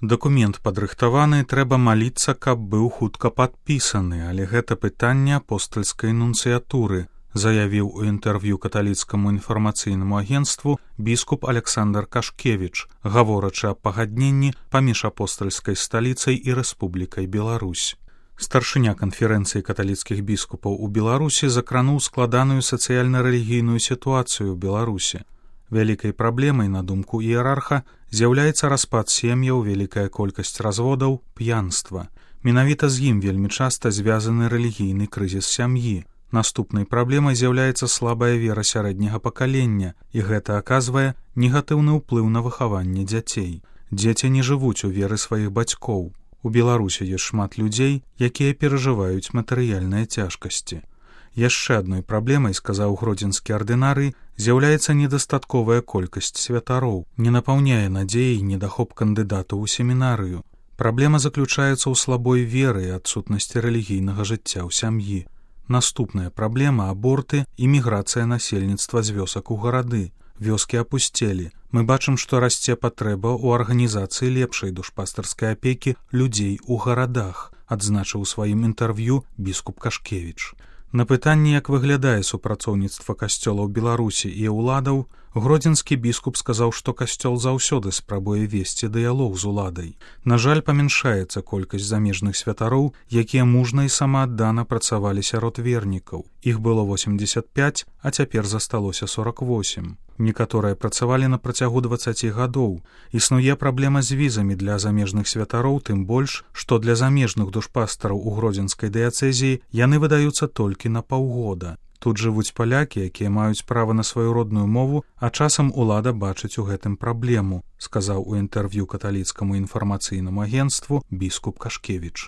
Дакумент падрыхтаваны, трэба маліцца, каб быў хутка падпісаны, але гэта пытанне апостальскай нунцыятуры, заявіў у інтэрв'ю каталіцкаму інфармацыйнаму агенцтву біскуп Александр Кашкевіч, гаворачы аб пагадненні паміж апостальскай сталіцай і Рэспублікай Беларусь. Старшыня канферэнцыі каталіцкіх біскупаў у Беларусі закрануў складаную сацыяльна-рэлігійную сітуацыю ў Беларусі. Вялікай праблемай, на думку іерарха, з'яўляецца распад сем'яў, вялікая колькасць разводаў, п'янства. Менавіта з ім вельмі часта звязаны рэлігійны крызіс сям'і. Наступнай праблемай з'яўляецца слабая вера сярэдняга пакалення, і гэта аказвае негатыўны ўплыў на выхаванне дзяцей. Дзеці не жывуць у веры сваіх бацькоў. У Беларусі ёсць шмат людзей, якія перажываюць матэрыяльныя цяжкасці. Яшчэ адной праблемай, сказаў гродзенскі ардынарый, з'яўляецца недастатковая колькасць святароў, не напаўняе надзеяй недахоп кандыдатаў у семінарыю. Праблема заключаецца ў слабой веры і адсутнасці рэлігійнага жыцця ў сям'і. Наступная праблема — аборты і міграцыя насельніцтва з вёсак у гарады. Вёскі апусцелі. Мы бачым, што расце патрэба ў арганізацыі лепшай душпастарскай апекі людзей у гарадах, адзначыў у сваім інтэрв'ю біскуп Кашкевіч. На пытанне, як выглядае супрацоўніцтва касцёла ў Беларусі і ўладаў, гродзенскі біскуп сказаў, што касцёл заўсёды спрабуе весці дыялог з уладай. На жаль, памяншаецца колькасць замежных святароў, якія мужна і самааддана працавалі сярод вернікаў. Іх было 85, а цяпер засталося 48. Некаторыя працавалі на працягу 20 гадоў. Існуе праблема з візамі для замежных святароў, тым больш, што для замежных душпастараў у гродзенскай дыяцэзіі яны выдаюцца толькі на паўгода. Тут жывуць палякі, якія маюць права на сваю родную мову, а часам улада бачыць у гэтым праблему, сказаў у інтэрв'ю каталіцкаму інфармацыйнаму агенцтву біскуп Кашкевіч.